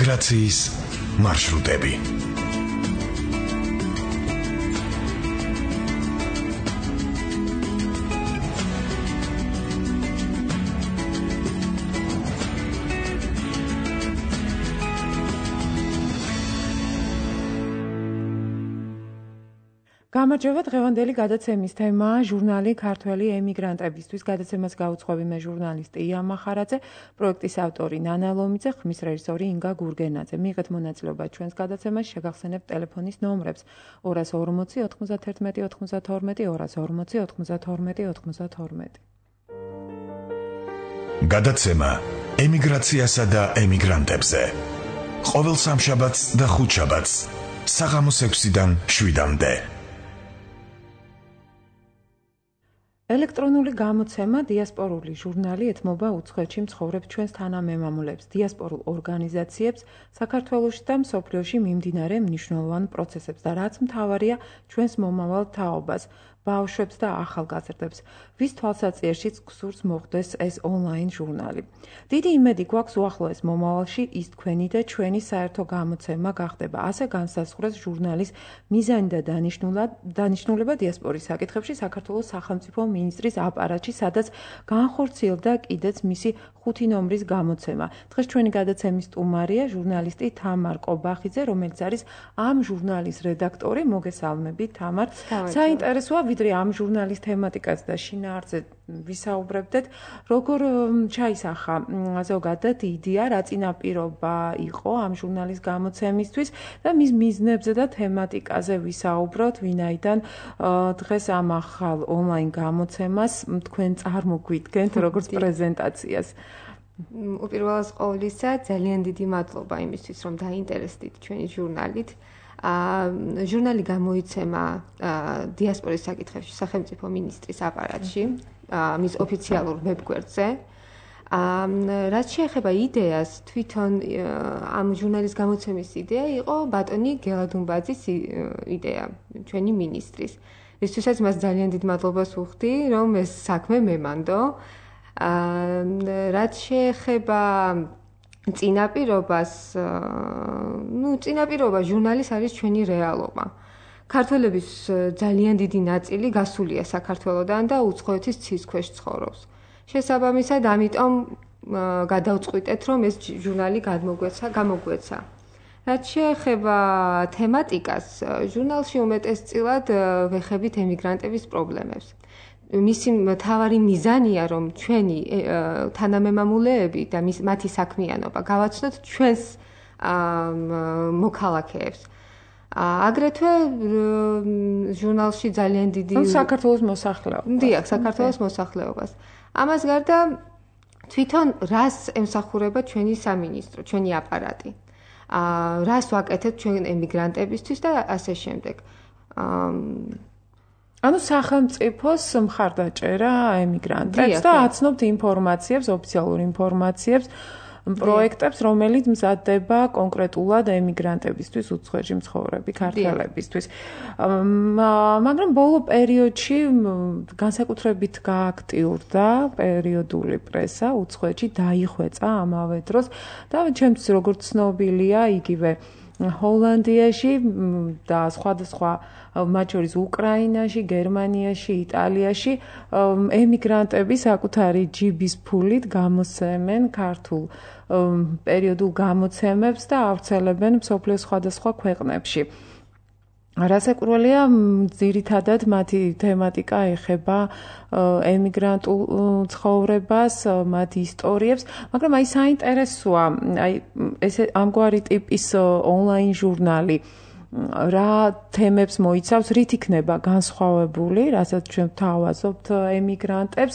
ემიგრაციის მარშრუტები. გამარჯობა, დღევანდელი გადაცემის თემაა ჟურნალი ქართველი ემიგრანტებისთვის. გადაცემას გაუძღვევი მე ჟურნალისტი ია მახარაძე, პროექტის ავტორი ნანა ლომიძე, ხმის რეჟისორი ინგა გურგენაძე. მიიღეთ მონაწილეობა ჩვენს გადაცემაში, შეგახსენებთ ტელეფონის ნომრებს 240 91 92 240 92 92. გადაცემა ემიგრაციასა და ემიგრანტებზე. ყოველ სამშაბათს და ხუთშაბათს საღამოს 6-დან 7-მდე. ელექტრონული გამოცემა დიასპორული ჟურნალი ეთმობა უცხოეთში მცხოვრებ ჩვენს თანამემამულებს, დიასპორულ ორგანიზაციებს, საქართველოში და მსოფლიოში მიმდინარე მნიშვნელოვან პროცესებს და რაც მთავარია ჩვენს მომავალ თაობას, ბავშვებს და ახალგაზრდებს, ვის თვალსაჩინოებშიც გსურს მოხდეს ეს ონლაინ ჟურნალი. დიდი იმედი გვაქვს უახლოეს მომავალში ის თქვენი და ჩვენი საერთო გამოცემა გახდება. ასე განსაზღვრეს ჟურნალის მიზანი და დანიშნულება დიასპორის საკითხებში საქართველოს სახელმწიფო მინისტრის აპარატში, სადაც განხორციელდა კიდეც მისი 5 ნომრის გამოცემა. დღეს ჩვენი გადაცემის სტუმარია ჟურნალისტი თამარ კობახიძე, რომელიც არის ამ ჟურნალის რედაქტორი. მოგესალმებით, თამარ. საინტერესოა, ვიდრე ამ ჟურნალის თემატიკაზე და შინაარსზე ვისაუბრებდეთ, როგორ ჩაისახა ზოგადად იდეა, რა წინაპირობა იყო ამ ჟურნალის გამოცემისთვის და მის მიზნებზე და თემატიკაზე ვისაუბროთ, ვინაიდან დღეს ამ ახალ ონლაინ გამოცემას თქვენ წარმოგვიდგენთ როგორც პრეზენტაციას. უპირველეს ყოვლისა, ძალიან დიდი მადლობა იმისთვის, რომ დაინტერესდით ჩვენი ჟურნალით. ჟურნალი გამოიცემა დიასპორის საკითხებში სახელმწიფო მინისტრის აპარატში, მის ოფიციალურ ვებგვერდზე. რაც შეეხება იდეას, თვითონ ამ ჟურნალის გამოცემის იდეა იყო ბატონი გელადუმბაძის იდეა, ჩვენი მინისტრის. ისთვისაც მას ძალიან დიდ მადლობას ვუხდი, რომ ეს საქმე მემანდო. რაც შეეხება წინაპირობას, წინაპირობა ჟურნალის არის ჩვენი რეალობა. ქართველების ძალიან დიდი ნაწილი გასულია საქართველოდან და უცხოეთის ცის ქვეშ ცხოვრობს. შესაბამისად, ამიტომ გადავწყვიტეთ, რომ ეს ჟურნალი გამოგვეცა. რაც შეეხება თემატიკას, ჟურნალში უმეტესწილად ვეხებით ემიგრანტების პრობლემებს. მისი მთავარი მიზანია, რომ ჩვენი თანამემამულეები და მათი საქმიანობა გავაცნოთ ჩვენს მოქალაქეებს. აგრეთვე ჟურნალში ძალიან დიდი საქართველოს მოსახლეობას. დიახ, საქართველოს მოსახლეობას. ამას გარდა თვითონ რას ემსახურება ჩვენი სამინისტრო, ჩვენი აპარატი. რას ვაკეთებთ ჩვენ ემიგრანტებისთვის და ასე შემდეგ. ანუ სახელმწიფოს მხარდაჭერა ემიგრანტებს და აცნობთ ინფორმაციებს, ოფიციალურ ინფორმაციებს, პროექტებს, რომელიც მზადდება კონკრეტულად ემიგრანტებისთვის, უცხოეთში მცხოვრები ქართველებისთვის. მაგრამ ბოლო პერიოდში განსაკუთრებით გააქტიურდა პერიოდული პრესა, უცხოეთში დაიხვეწა ამავე დროს და ჩემთვის როგორც ცნობილია, იგივე ჰოლანდიაში და სხვადასხვა მათ შორის უკრაინაში, გერმანიაში, იტალიაში ემიგრანტები საკუთარი ჯიბის ფულით გამოსცემენ ქართულ პერიოდულ გამოცემებს და ავრცელებენ მსოფლიოს სხვადასხვა ქვეყნებში. რასაკვირველია, ძირითადად მათი თემატიკა ეხება ემიგრანტულ ცხოვრებას, მათ ისტორიებს, მაგრამ აი საინტერესოა, აი ესე ამგვარი ტიპის ონლაინ ჟურნალი რა თემებს მოიცავს, რით იქნება განსხვავებული, რასაც ჩვენ ვთავაზობთ ემიგრანტებს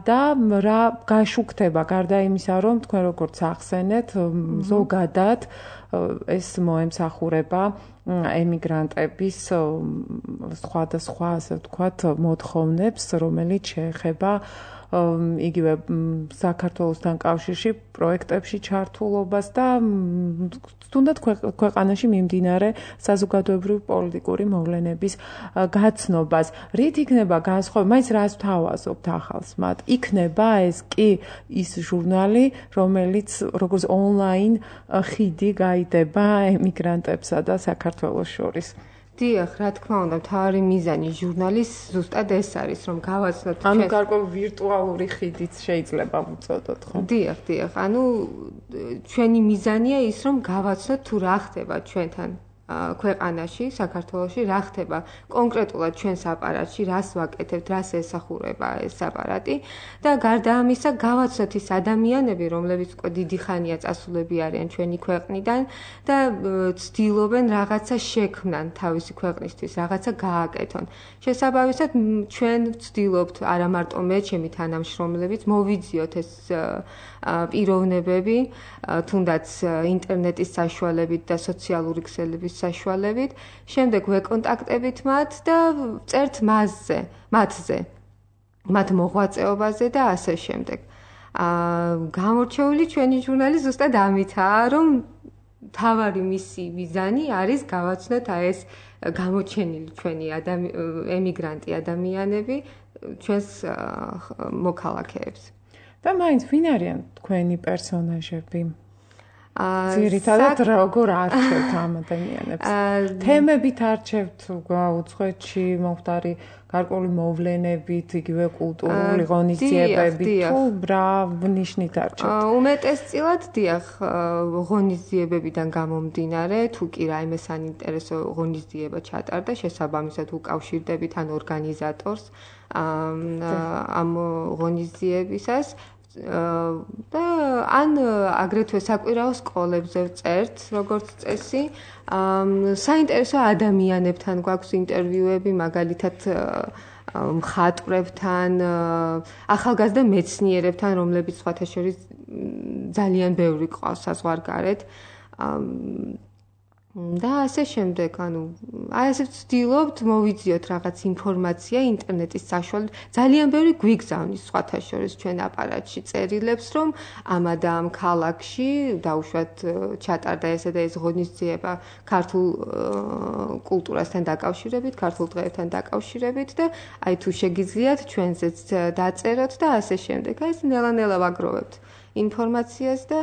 და რა გაშუქდება, გარდა იმისა, რომ თქვენ როგორც ახსენეთ, ზოგადად ეს მოემსახურება ემიგრანტების სხვადასხვა, ასე ვთქვათ, მოთხოვნებს, რომელიც შეეხება იგივე საქართველოსთან კავშირში პროექტებში ჩართულობას და თუნდაც ქვეყანაში მიმდინარე საზოგადოებრივი პოლიტიკური მოვლენების გაცნობას. რით იქნება განსხვავება? მაინც რას ვთავაზობთ ახალს მათ? იქნება ეს კი ის ჟურნალი, რომელიც როგორც ონლაინ ხიდი გაიდება ემიგრანტებსა და საქართველოს შორის. დიახ, რა თქმა უნდა, მთავარი მიზანი ჟურნალის ზუსტად ეს არის, რომ გავაცნოთ ანუ გარკვეული ვირტუალური ხიდიც შეიძლება ვუწოდოთ, ხო? დიახ. ანუ ჩვენი მიზანია ის, რომ გავაცნოთ თუ რა ხდება ჩვენთან ქვეყანაში, საქართველოში, რა ხდება კონკრეტულად ჩვენს აპარატში, რას ვაკეთებთ, რას ესახურება ეს აპარატი და გარდა ამისა გავაცნოთ ის ადამიანები, რომლებიც უკვე დიდი ხანია წასულები არიან ჩვენი ქვეყნიდან და ცდილობენ რაღაცა შექმნან თავისი ქვეყნისთვის, რაღაცა გააკეთონ. შესაბამისად, ჩვენ ვცდილობთ არა მარტო მე, ჩემი თანამშრომლებიც მოვიძიოთ ეს პიროვნებები, თუნდაც ინტერნეტის საშუალებით და სოციალური ქსელების საშუალებით, შემდეგ ვეკონტაქტებით მათ და წერთ მათზე, მათ მოღვაწეობაზე და ასე შემდეგ. გამორჩეული ჩვენი ჟურნალი ზუსტად ამითაა, რომ თავარი მისი მიზანი არის გავაცნოთ ეს გამოჩენილი ჩვენი ემიგრანტი ადამიანები ჩვენს მოქალაქეებს. და მაინც ვინ არიან თქვენი პერსონაჟები? ძირითადად როგორ არჩევთ ამ ადამიანებს? თემებით არჩევთ უცხოეთში მომხდარი გარკვეული მოვლენებით, იგივე კულტურული ღონისძიებებით თუ რა ნიშნით არჩევთ? უმეტესწილად დიახ, ღონისძიებებიდან გამომდინარე, თუ კი რაიმე საინტერესო ღონისძიება ჩატარდა, შესაბამისად უკავშირდებით ან ორგანიზატორს ამ ღონისძიებისას და ან აგრეთვე საკვირაო სკოლებზე ვწერთ, როგორც წესი. საინტერესო ადამიანებთან გვაქვს ინტერვიუები, მაგალითად მხატვრებთან, ახალგაზრდა მეცნიერებთან, რომლებიც სხვათა შორის ძალიან ბევრი ყავს საზღვარგარეთ. და ასე შემდეგ, აი ესე ვცდილობთ მოვიძიოთ რაღაც ინფორმაცია ინტერნეტის საშუალებით. ძალიან ბევრი გვიგზავნის სხვათა შორის ჩვენ აპარატში წერილებს, რომ ამა და ამ ქალაქში დაუშვათ ჩატარდა ესე და ეს ღონისძიება ქართულ კულტურასთან დაკავშირებით, ქართულ დღეებთან დაკავშირებით და აი თუ შეგიძლიათ ჩვენზეც დაწეროთ და ასე შემდეგ. აი ეს ნელა-ნელა ვაგროვებთ ინფორმაციას და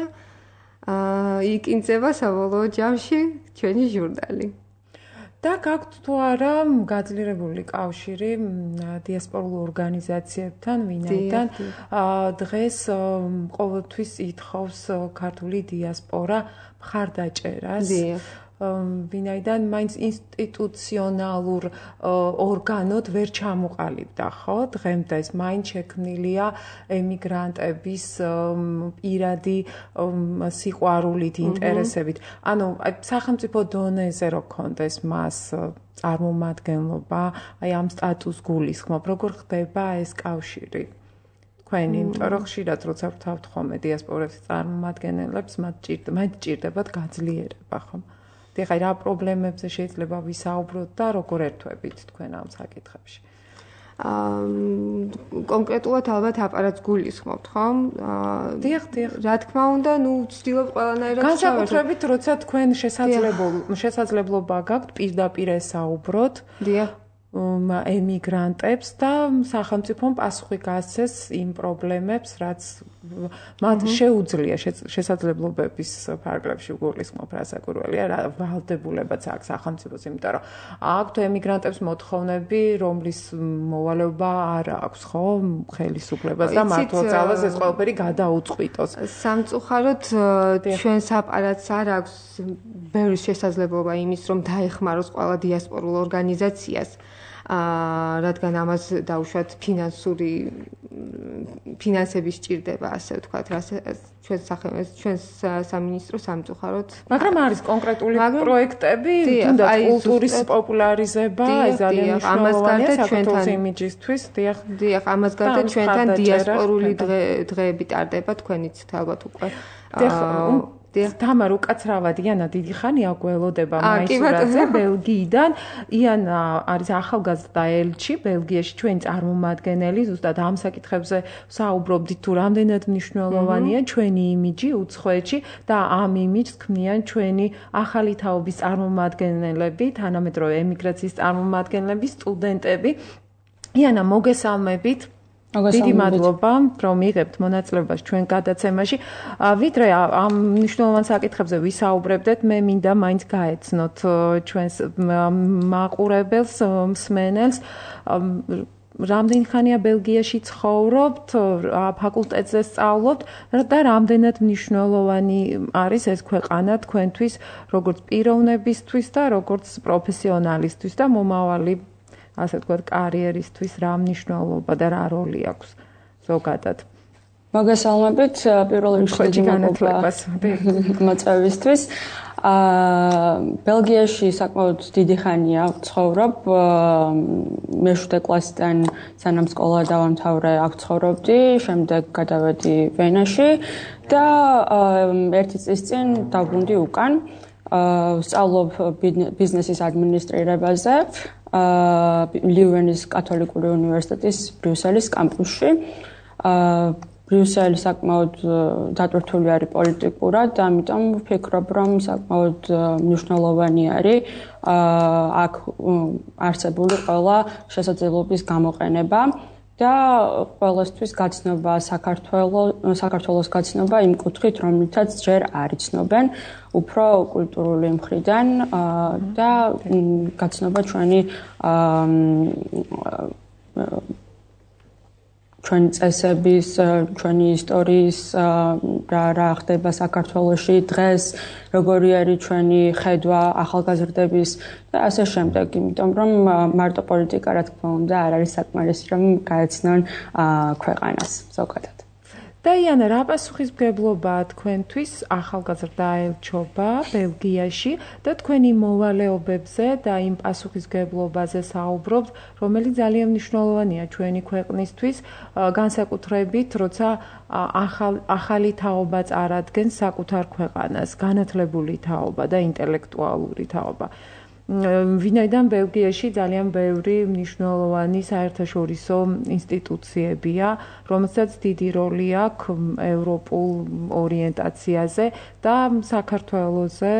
იკინძება საბოლოო ჯამში ჩვენი ჟურნალი. და გაქვთ თუ არა გაძლიერებული კავშირი დიასპორულ ორგანიზაციებთან, ვინაიდან დღეს ყოველთვის ითხოვს ქართული დიასპორა მხარდაჭერას. ვინაიდან მაინც ინსტიტუციონალურ ორგანოდ ვერ ჩამოყალიბდა, ხო? დღემდე მაინც შექმნილია ემიგრანტების პირადი სიყვარულით, ინტერესებით. ანუ სახელმწიფო დონეზე რო ქონდეს მას წარმომადგენლობა, აი ამ სტატუს გულისხმობ, როგორ ხდება ეს კავშირი? თქვენი, იმიტომ რომ ხშირად როცა ვთავთ ხოლმე დიასპორების წარმომადგენლებს, მათ ჭირდებათ გაძლიერება, ხო? ეხლა რა პრობლემებზე შეიძლება ვისაუბროთ და როგორ ერთვებით თქვენ ამ საკითხებში? კონკრეტულად ალბათ აპარატს გულისხმობთ, ხო? დიახ. რა თქმა უნდა, ვცდილობ ყველანაირად განსაკუთრებით, როცა თქვენ შესაძლებლობა გაქვთ პირდაპირ ესაუბროთ. დიახ. ემიგრანტებს და სახელმწიფომ პასუხი გასცეს იმ პრობლემებს, რაც მათ შეუძლია შესაძლებლობების ფარგლებში გულისხმობ, რასაკვირველია, რა ვალდებულებაც აქვს სახელმწიფოს, იმიტომ რომ აქვთ ემიგრანტებს მოთხოვნები, რომლის მოვალეობა არ აქვს, ხო, ხელისუფლებას და მართლმსავალს ეს ყველაფერი გადაუწყვიტოს. სამწუხაროდ ჩვენს აპარატს არ აქვს ბევრი შესაძლებლობა იმის, რომ დაეხმაროს ყველა დიასპორულ ორგანიზაციას. რადგან ამას დაუშვათ ფინანსები სჭირდება, ასე ვთქვათ, ჩვენს სამინისტრო სამწუხაროდ. მაგრამ არის კონკრეტული პროექტები, თუნდაც კულტურის პოპულარიზება, ეს ძალიან მნიშვნელოვანია საქართველოს იმიჯისთვის. დიახ, ამას გარდა ჩვენთან დიასპორული დღეები ტარდება, თქვენიც ალბათ უკვე. თამარ უკაცრავად იანა დიდი ხანია გველოდება მაისურაძე ბელგიიდან. იანა არის ახალგაზრდა ელჩი ბელგიაში, ჩვენი წარმომადგენელი, ზუსტად ამ საკითხებზე საუბრობდით თუ რამდენად მნიშვნელოვანია ჩვენი იმიჯი უცხოეთში და ამ იმიჯს ქმნიან ჩვენი ახალი თაობის წარმომადგენლები, თანამედროვე ემიგრაციის წარმომადგენლები, სტუდენტები. იანა, მოგესალმებით. დიდი მადლობა, რომ იღებთ მონაწილეობას ჩვენ გადაცემაში. ვიდრე ამ მნიშვნელოვან საკითხებზე ვისაუბრებდეთ, მე მინდა მაინც გაეცნოთ ჩვენს მაყურებელს, მსმენელს. რამდენი ხანია ბელგიაში ცხოვრობთ, ფაკულტეტზე სწავლობთ და რამდენად მნიშვნელოვანი არის ეს ქვეყანა თქვენთვის, როგორც პიროვნებისთვის და როგორც პროფესიონალისთვის და მომავალი ასე ვთქვათ, კარიერისთვის რა მნიშვნელობა და რა როლი აქვს ზოგადად. მოგესალმებით, პირველ რიგში დიდი მადლობა მოწვევისთვის. ბელგიაში საკმაოდ დიდი ხანია ვცხოვრობ. მე-7 კლასიდან სანამ სკოლა დავამთავრე, აქ ცხოვრობდი, შემდეგ გადავედი ვენაში და 1 წლის წინ დავბრუნდი უკან. ვსწავლობ ბიზნესის ადმინისტრირებაზე. ლიუვენის კათოლიკური უნივერსიტეტის ბრიუსელის კამპუსში. ბრიუსელი საკმაოდ დატვირთული არის პოლიტიკურად და ამიტომ ვფიქრობ, რომ საკმაოდ მნიშვნელოვანი არის აქ არსებული ყველა შესაძლებლობის გამოყენება და ყველასთვის გაცნობა საქართველოს გაცნობა იმ კუთხით, რომლითაც ჯერ არ იცნობენ, უფრო კულტურული მხრიდან და გაცნობა ჩვენი წესების, ჩვენი ისტორიის რა ხდება საქართველოში დღეს, როგორი არის ჩვენი ხედვა ახალგაზრდების და ასე შემდეგ, იმიტომ რომ მარტო პოლიტიკა რა თქმა უნდა არ არის საკმარისი, რომ გაეცნონ ქვეყანას ზოგადად. და იანა, რა პასუხისმგებლობაა თქვენთვის ახალგაზრდა ელჩობა ბელგიაში და თქვენი მოვალეობებზე და იმ პასუხისმგებლობაზე საუბრობთ, რომელიც ძალიან მნიშვნელოვანია ჩვენი ქვეყნისთვის, განსაკუთრებით, როცა ახალი თაობა წარადგენს საკუთარ ქვეყანას, განათლებული თაობა და ინტელექტუალური თაობა. ვინაიდან ბელგიაში ძალიან ბევრი მნიშვნელოვანი საერთაშორისო ინსტიტუციებია, რომელსაც დიდი როლი აქვს ევროპულ ორიენტაციაზე და საქართველოზე,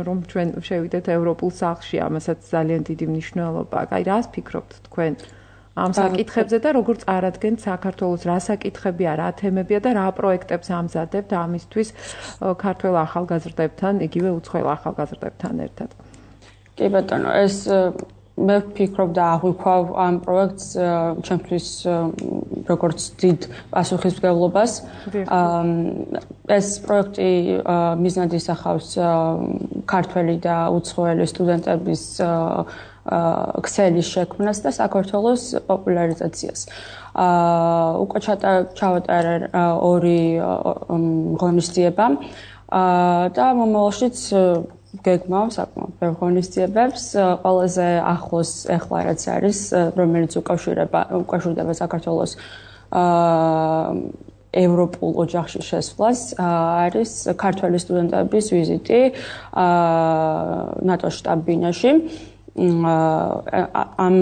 რომ ჩვენ შევიდეთ ევროპულ სახლში, ამასაც ძალიან დიდი მნიშვნელობა აქვს. აი, რას ფიქრობთ თქვენ ამ საკითხებზე და როგორ წარადგენთ საქართველოს, რა საკითხებია, რა თემებია და რა პროექტებს ამზადებთ ამისთვის ქართველ ახალგაზრდებთან, იგივე უცხოელ ახალგაზრდებთან ერთად? კი ბატონო, ეს მე ვფიქრობ და აღვიქვავ ამ პროექტს ჩემთვის როგორც დიდ პასუხისმგებლობას. ეს პროექტი მიზნად ისახავს ქართველი და უცხოელი სტუდენტების ქსელის შექმნას და საქართველოს პოპულარიზაციას. უკვე ჩავატარე 2 ღონისძიება და მომავალშიც გეგმავ საკმაოდ ბევრ ღონისძიებებს. ყველაზე ახლოს ეხლა რაც არის, რომელიც უკავშირდება საქართველოს ევროპულ ოჯახში შესვლას, არის ქართველი სტუდენტების ვიზიტი ნატოს შტაბ-ბინაში. ამ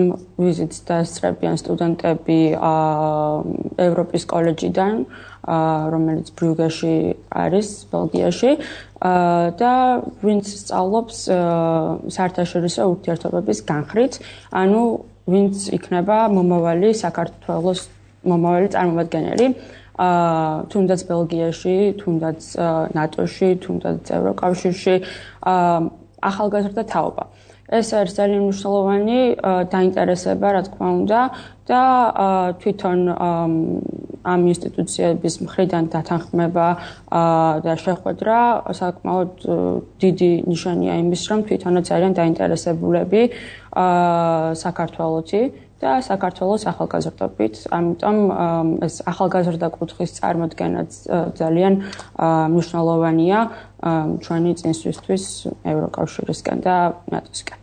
ვიზიტს დასწრებიან სტუდენტები ევროპის კოლეჯიდან, რომელიც ბრიუგეში არის, ბელგიაში და ვინც სწავლობს საერთაშორისო ურთიერთობების განხრით, ანუ ვინც იქნება მომავალი საქართველოს მომავალი წარმომადგენელი, თუნდაც ბელგიაში, თუნდაც ნატოში, თუნდაც ევროკავშირში, ახალგაზრდა თაობა. ეს არის ძალიან მნიშვნელოვანი დაინტერესება, რა თქმა უნდა, და თვითონ ამ ინსტიტუციების მხრიდან დათანხმება და შეხვედრა საკმაოდ დიდი ნიშანია იმის, რომ თვითონაც არიან დაინტერესებულები საქართველოში და საქართველოს ახალგაზრდობით. ამიტომ ეს ახალგაზრდა კუთხის წარმოდგენაც ძალიან მნიშვნელოვანია ჩვენი წინსვლისთვის ევროკავშირისკენ და ნატოსკენ.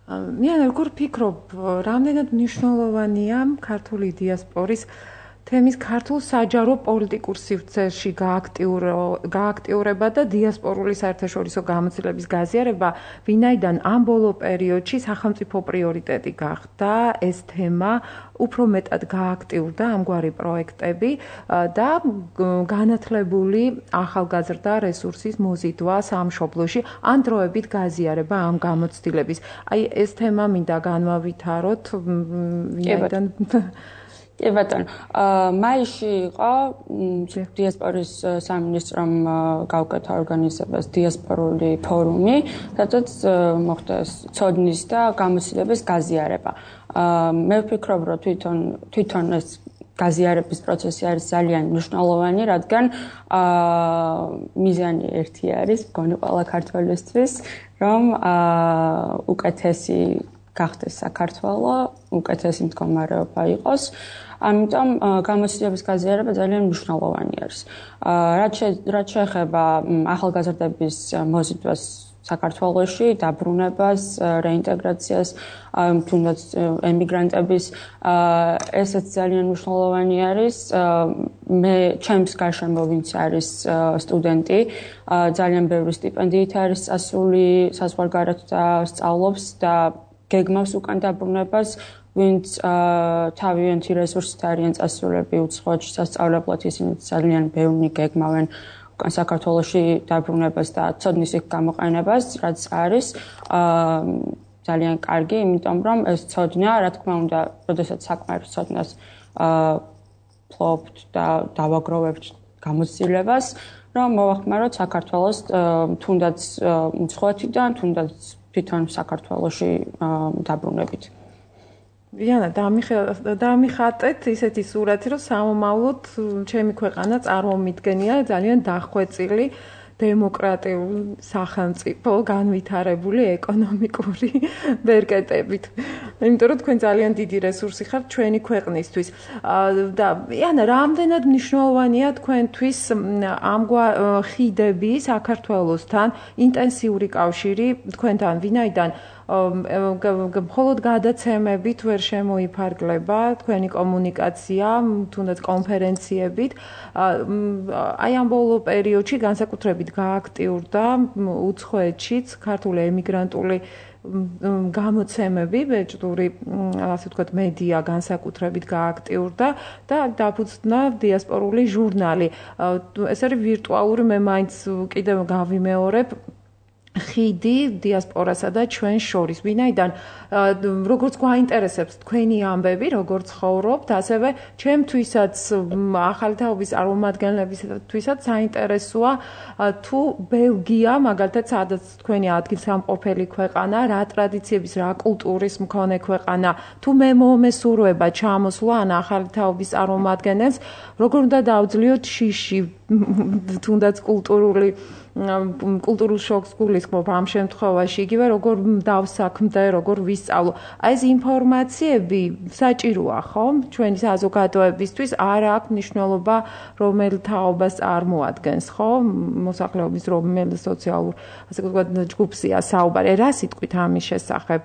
მე როგორ ფიქრობ, რამდენად მნიშვნელოვანია ქართული დიასპორის თემის ქართულ საჯარო პოლიტიკურ სივრცეში გააქტიურება და დიასპორული საერთაშორისო გამოცდილების გაზიარება, ვინაიდან ამ ბოლო პერიოდში სახელმწიფო პრიორიტეტი გახდა ეს თემა, უფრო მეტად გააქტიურდა ამგვარი პროექტები და განათლებული ახალგაზრდა რესურსის მოზიდვა სამშობლოში, ან დროებით გაზიარება ამ გამოცდილების. აი ეს თემა მინდა განვავითაროთ, ვინაიდან კი ბატონო, მაისში იყო დიასპორის სამინისტრომ გაუკეთა ორგანიზებას დიასპორული ფორუმი, სადაც მოხდა ცოდნის და გამოცდილების გაზიარება. მე ვფიქრობ, რომ თვითონ ეს გაზიარების პროცესი არის ძალიან მნიშვნელოვანი, რადგან მიზანი ერთი არის, მგონი ყველა ქართველისთვის, რომ უკეთესი გახდეს საქართველო, უკეთესი მდგომარეობა იყოს. ამიტომ გამოცდილების გაზიარება ძალიან მნიშვნელოვანი არის. რაც შეეხება ახალგაზრდების მოზიდვას საქართველოში, დაბრუნებას, რეინტეგრაციას, თუნდაც ემიგრანტების, ესეც ძალიან მნიშვნელოვანი არის. მე ჩემს გარშემო ვინც არის სტუდენტი, ძალიან ბევრი სტიპენდიით არის წასული საზღვარგარეთ და სწავლობს და გეგმავს უკან დაბრუნებას, ვინც თავიანთი რესურსით არიან წასულები უცხოეთში სასწავლებლად, ისინი ძალიან ბევრი გეგმავენ უკან საქართველოში დაბრუნებას და ცოდნის იქ გამოყენებას, რაც არის ძალიან კარგი, იმიტომ რომ ეს ცოდნა, რა თქმა უნდა, როდესაც საკმარის ცოდნას ფლობთ და დავაგროვებთ გამოცდილებას, რომ მოვახმაროთ საქართველოს თუნდაც უცხოეთიდან, თუნდაც თვითონ საქართველოში დაბრუნებით. ვიანა, დამიხატეთ ისეთი სურათი, რომ სამომავლოდ ჩემი ქვეყანა წარმომიდგენია ძალიან დახვეწილი დემოკრატიული სახელმწიფო, განვითარებული ეკონომიკური ბერკეტებით. იმიტომ რომ თქვენ ძალიან დიდი რესურსი ხართ ჩვენი ქვეყნისთვის. და ვიანა, რამდენად მნიშვნელოვანია თქვენთვის ხიდები საქართველოსთან, ინტენსიური კავშირი თქვენთან, ვინაიდან მხოლოდ გადაცემებით ვერ შემოიფარგლება თქვენი კომუნიკაცია, თუნდაც კონფერენციებით. აი ამ ბოლო პერიოდში განსაკუთრებით გააქტიურდა უცხოეთშიც ქართული ემიგრანტული გამოცემები, ბეჭდური, ასე ვთქვათ, მედია განსაკუთრებით გააქტიურდა და დაფუძნა დიასპორული ჟურნალი. ეს არის ვირტუალური, მე მაინც კიდევ გავიმეორებ, ხიდი დიასპორასა და ჩვენ შორის, ვინაიდან როგორც გვაინტერესებს თქვენი ამბები, როგორც ცხოვრობთ, ასევე ჩემთვისაც ახალი თაობის წარმომადგენლებისთვისაც საინტერესოა თუ ბელგია, მაგალითად, სადაც თქვენი ადგილსამყოფელი ქვეყანა, რა ტრადიციების, რა კულტურის მქონე ქვეყანა, თუ მე მომესურვება ჩამოსვლა ან ახალი თაობის წარმომადგენელს, როგორ უნდა დავძლიოთ შიში, თუნდაც კულტურულ შოკს გულისხმობ ამ შემთხვევაში, იგივე როგორ დავსაქმდე, როგორ ვისწავლო. აი ეს ინფორმაციები საჭიროა, ხო? ჩვენი საზოგადოებისთვის არ აქვს მნიშვნელობა, რომელ თაობას წარმოადგენს, ხო? მოსახლეობის რომელ სოციალურ, ასე ვთქვათ, ჯგუფია საუბარი. რა სიტყვით ამის შესახებ?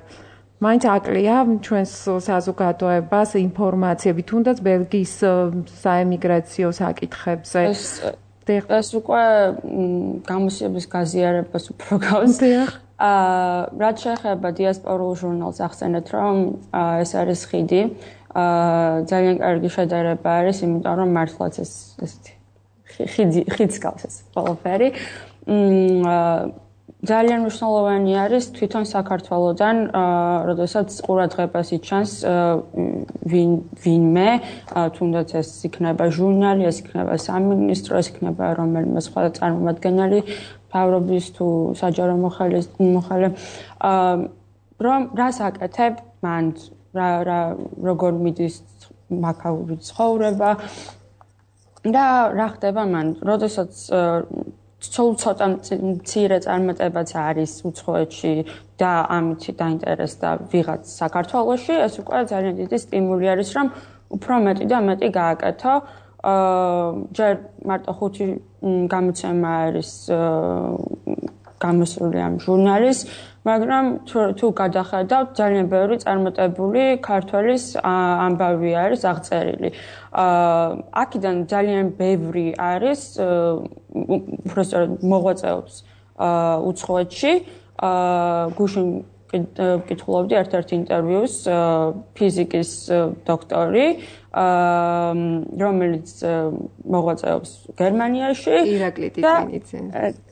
მაინც აკლია ჩვენს საზოგადოებას ინფორმაციები, თუნდაც ბელგიის საემიგრაციო საკითხებზე. ეს უკვე გამოცდილების გაზიარებას უფრო გავს. რაც შეეხება დიასპორულ ჟურნალს, ახსენეთ, რომ ეს არის ხიდი. ძალიან კარგი შედარება არის, იმიტომ რომ მართლაც ესეთი ხიდს გავს ეს ყველაფერი. ძალიან მნიშვნელოვანი არის თვითონ საქართველოდან, როდესაც ყურადღებას იჩანს ვინმე, თუნდაც ეს იქნება ჟურნალი, ეს იქნება სამინისტრო, ეს იქნება რომელიმე სხვა წარმომადგენელი, მთავრობის თუ საჯარო მოხელე, რომ რას აკეთებ მან, როგორ მიდის მაქაური ცხოვრება და რა ხდება მან, როდესაც სულ ცოტა მცირე წარმატებაც არის უცხოეთში და ამით დაინტერესდა ვიღაც საქართველოში, ეს უკვე ძალიან დიდი სტიმული არის, რომ უფრო მეტი და მეტი გააკეთო. ჯერ მარტო 5 გამოცემა არის გამოსული ამ ჟურნალის, მაგრამ თუ გადახედავთ, ძალიან ბევრი წარმატებული ქართველის ამბავი არის აღწერილი. აქედან ძალიან ბევრი არის უბრალოდ მოღვაწეობს უცხოეთში. გუშინ ვკითხულობდი ერთ-ერთ ინტერვიუს ფიზიკის დოქტორი, რომელიც მოღვაწეობს გერმანიაში. ირაკლი ტიკინიძე.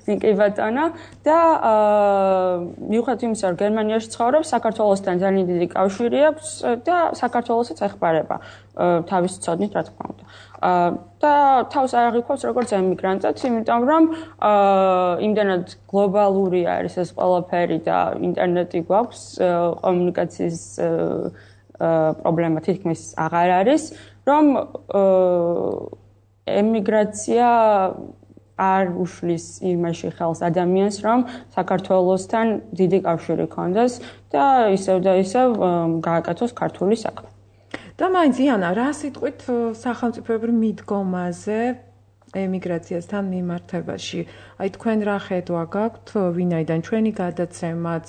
კი ბატონო და მიუხედავად იმისა, რომ გერმანიაში ცხოვრობს, საქართველოსთან ძალიან დიდი კავშირი აქვს და საქართველოსაც ეხმარება თავის ცოდნით, რა თქმა უნდა. და თავს არ აღიქვამს როგორც ემიგრანტად, იმიტომ რომ იმდანად გლობალური არის ეს ყველაფერი და ინტერნეტი გვაქვს, კომუნიკაციის პრობლემა თითქმის აღარ არის, რომ ემიგრაცია არ უშლის იმაში ხელს ადამიანს, რომ საქართველოსთან დიდი კავშირი ქონდეს და ისევ და ისევ გააკეთოს ქართული საქმე. და მაინც იანა, რა სიტყვით სახელმწიფოებრივ მიდგომაზე ემიგრაციასთან მიმართებაში? აი თქვენ რა ხედვა გაქვთ, ვინაიდან ჩვენი გადაცემაც,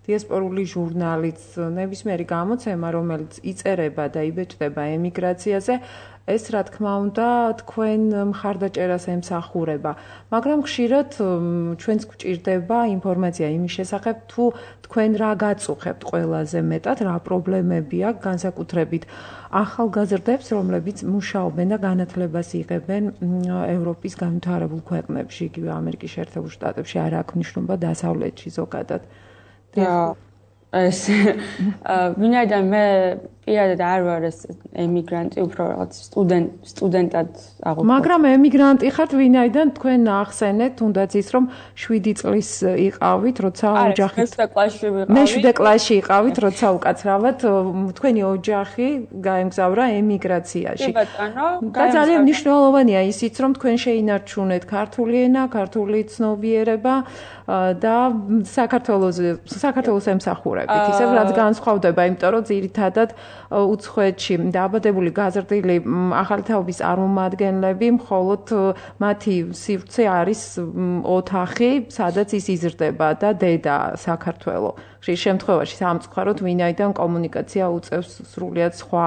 დიასპორული ჟურნალიც, ნებისმიერი გამოცემა, რომელიც იწერება და იბეჭდება ემიგრაციაზე, ეს რა თქმა უნდა თქვენ მხარდაჭერას ემსახურება, მაგრამ ხშირად ჩვენს გვჭირდება ინფორმაცია იმის შესახებ, თუ თქვენ რა გაწუხებთ ყველაზე მეტად, რა პრობლემები აქვს განსაკუთრებით ახალგაზრდებს, რომლებიც მუშაობენ და განათლებას იღებენ ევროპის განვითარებულ ქვეყნებში, იგივე ამერიკის შეერთებულ შტატებში, არ აქვს მნიშვნელობა დასავლეთში ზოგადად. ეს ვინაიდან მე პირადად არ ვარ ეს ემიგრანტი, უფრო რაღაც სტუდენტად აღუდგა. მაგრამ ემიგრანტი ხართ, ვინაიდან თქვენ ახსენეთ, თუნდაც ის რომ 7 წლის იყავით, როცა ოჯახით. მე 7 კლასში იყავით, როცა უკაცრავად თქვენი ოჯახი გაემგზავრა ემიგრაციაში. და ძალიან მნიშვნელოვანია ისიც, რომ თქვენ შეინარჩუნეთ ქართული ენა, ქართული ცნობიერება და საქართველოს ემსახურებით. ისევ რაც განსხვავდება, იმიტომ რომ ძირითადად უცხოეთში დააბადებული გაზრდილი ახალი თაობის წარმომადგენლები მხოლოდ მათი სივრცე არის ოთახი, სადაც ის იზრდება და დედა საქართველო. ხშირ შემთხვევაში სამწუხაროდ ვინაიდან კომუნიკაცია უწევს სრულიად სხვა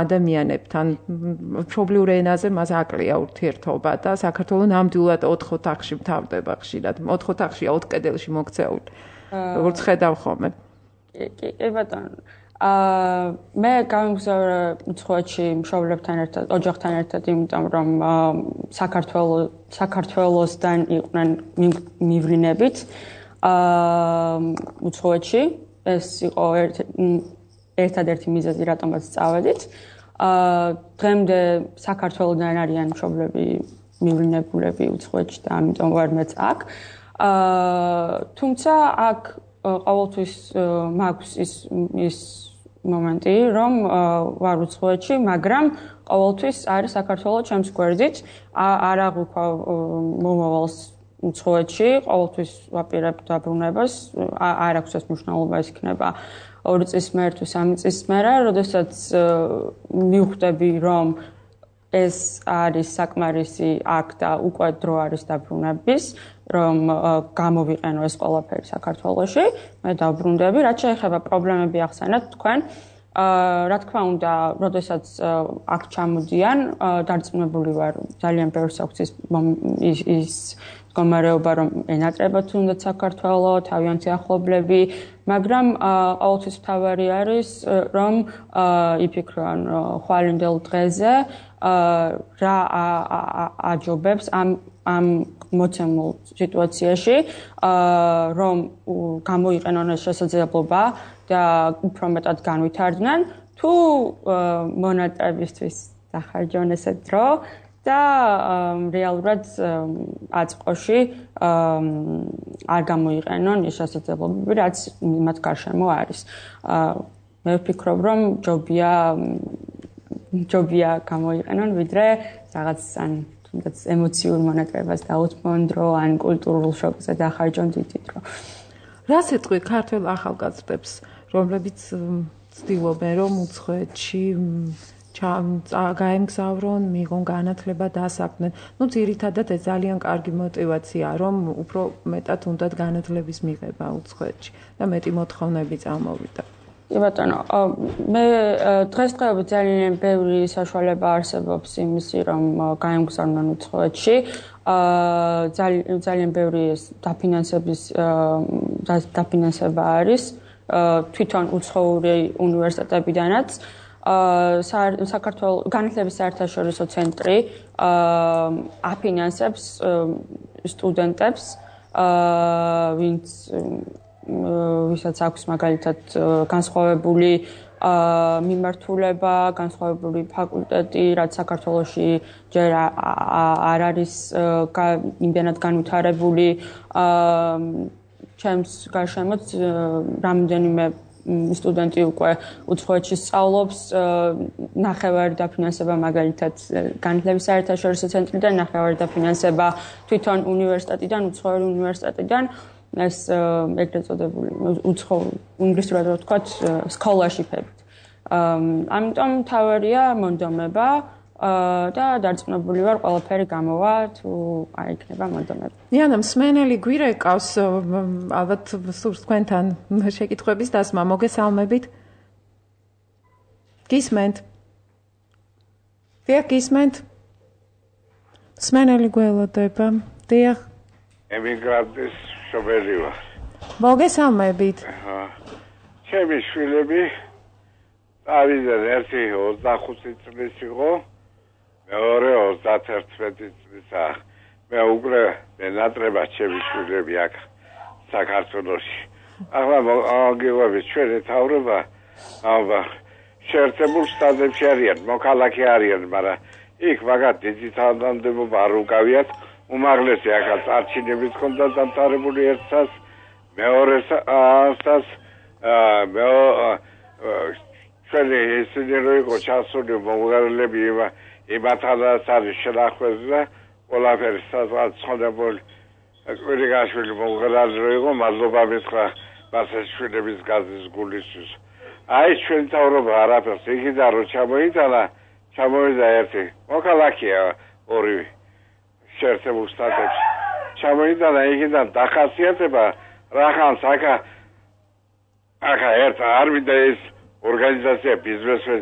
ადამიანებთან. მშობლიურ ენაზე მას აკლია ურთიერთობა და საქართველო ნამდვილად 4 ოთახში მთავრდება ხშირად. 4 ოთახშია 4 კედელში მოქცეული. როგორც ხედავ ხოლმე. კი ბატონო. მე გამგზავრე უცხოეთში მშობლებთან ერთად, ოჯახთან ერთად, იმიტომ რომ საქართველოსთან იყვნენ მივრინებით უცხოეთში. ეს იყო ერთადერთი მიზეზი, რატომაც წავედით. დღემდე საქართველოდან არიან მშობლები მივრინებულები უცხოეთში და ამიტომ ვარ მეც აქ. თუმცა აქ ყოველთვის მაქვს ის მომენტი, რომ ვარ უცხოეთში, მაგრამ ყოველთვის არის საქართველოს ჩემს გვერდით, არ აღვიქვა მომავალს უცხოეთში, ყოველთვის ვაპირებ დაბრუნებას, არ აქვს ეს მნიშვნელობა, ის იქნება 2 წლის მერე თუ 3 წლის მერე, როდესაც მივხვდები, რომ ეს არის საკმარისი აქ და უკვე დრო არის დაბრუნების, რომ გამოვიყენო ეს ყველაფერი საქართველოში, მე დავბრუნდები, რაც შეეხება პრობლემები ახსენეთ თქვენ. რა თქმა უნდა, როდესაც აქ ჩამოდიან, დარწმუნებული ვარ, ძალიან ბევრს აქვს ის მდგომარეობა, რომ ენატრებათ თუნდაც საქართველო, თავიანთი ახლობლები, მაგრამ ყოველთვის მთავარი არის, რომ იფიქრონ ხვალინდელ დღეზე, რა აჯობებს ამ მოცემულ სიტუაციაში, რომ გამოიყენონ ეს შესაძლებლობა და უფრო მეტად განვითარდნენ, თუ მონატრებისთვის დახარჯონ ესე დრო და რეალურად აწყოში არ გამოიყენონ ეს შესაძლებლობები, რაც მათ გარშემო არის. მე ვფიქრობ, რომ ჯობია გამოიყენონ, ვიდრე რაღაც ან თუნდაც ემოციურ მონატრებას დაუთმონ დრო, ან კულტურულ შოკზე დახარჯონ დიდი დრო. რას ეტყვი ქართველ ახალგაზრდებს, რომლებიც ცდილობენ, რომ უცხოეთში გაემგზავრონ, მიიღონ განათლება, დასაქმდნენ. ნუ ძირითადად ეს ძალიან კარგი мотиваციაა, რომ უფრო მეტად უნდათ განათლების მიღება უცხოეთში და მეტი მოთხოვნები წამოვიდა. კი ბატონო, მე დღესდღეობით ძალიან ბევრი საშუალება არსებობს იმისი, რომ გაემგზავრონ უცხოეთში. ძალიან ბევრი დაფინანსება არის თვითონ უცხოური უნივერსიტეტებიდანაც. საქართველოს განათლების საერთაშორისო ცენტრი აფინანსებს სტუდენტებს, ვისაც აქვს მაგალითად განსხვავებული მიმართულება, განსხვავებული ფაკულტეტი, რაც საქართველოში ჯერ არ არის იმდენად განვითარებული. ჩემს გარშემოც რამდენიმე სტუდენტი უკვე უცხოეთში სწავლობს, ნახევარი დაფინანსება მაგალითად განათლების საერთაშორისო ცენტრიდან, ნახევარი დაფინანსება თვითონ უნივერსიტეტიდან, უცხოური უნივერსიტეტიდან. ეს ეგრეთ წოდებული ინგლისურად რო ვთქვათ, scholarship-ებით. ამიტომ თავარია მონდომება და დარწმუნებული ვარ, ყველაფერი გამოვა, თუ არ იქნება მონდომება. იანა, მსმენელი გვირეკავს, ალბათ სურს თქვენთან შეკითხვების დასმა, მოგესალმებით. გისმენთ? დიახ, გისმენთ? მსმენელი გველოდება. დიახ. ემიგრანტის შობელი ვარ. მოგესალმებით. ჩემი შვილები ავიდან ერთი 25 წლის იყო, მეორე 31 წლისა. მე უკვე ნატრებად ჩემი შვილები აქ საქართველოში. ახლა აგივები ჩვენი თავრობა შეერთებულ შტატებში არიან, მოქალაქე არიან, მაგრამ იქ მაგათ დიდი თანამდებობა არ უკავიათ. უმაღლესი ახალ არჩევნებით ჰქონდა დამთავრებული ერთსას, მეორეს ასას, ჩვენი ისინი რო იყო ჩასული მომღერლები იმათანაც არის შენახვეზე და ყველაფერი სადღაც ხონებული კვირიკაშვილი მომღერალი რო იყო, მადლობა მითხრა მასაშვილების გაზის გულისთვის. აი ჩვენ თავრობა არაფერს იქიდან რო ჩამოვიდა ერთი მოქალაქეა ორივე შეერთებულ შტატებში. ჩამოიტანა იქიდან დახასიათება რახანს აქა ერთ არ მინდა ეს ორგანიზაცია ბიზნესის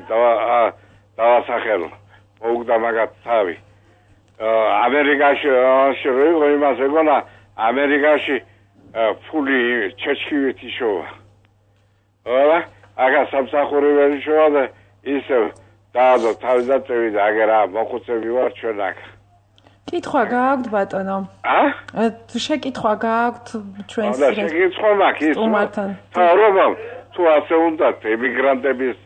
დავასახელო. მოუგდა მაგათ თავი. ამერიკაში რო იყო იმას ეგონა ამერიკაში ფული ჩეჩქივით იშოვა. აქა სამსახურებელი შოვა და ისე დაადო თავი და წევიდა აგერა მოხუცები ვარ ჩვენ აქ. კითხვა გააქვთ ბატონო? შეკითხვა გააქვთ ჩვენს შეკითხვა მაქვს ის. თავრობამ თუ ასე უნდათ ემიგრანტების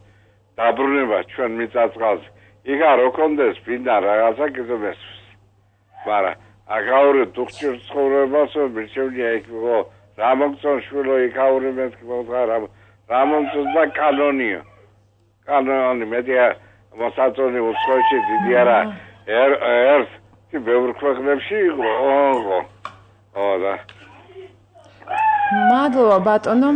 დაბრუნება ჩვენ მიწა-წყალზე. იქ არ ოქონდეს ფინდა რაღაცა კიდევ. მაგრამ აგაური დუხჭირ ცხოვრებას მირჩევნია იქ რა მოგწონ შვილო იქ აური მეთქი მოგარა რა მომწონს და კანონი მეტია მოსაწონი უცხოეთში დიდი არა ერთ ბევრ ქვეყნებში იყო. და მადლობა ბატონო.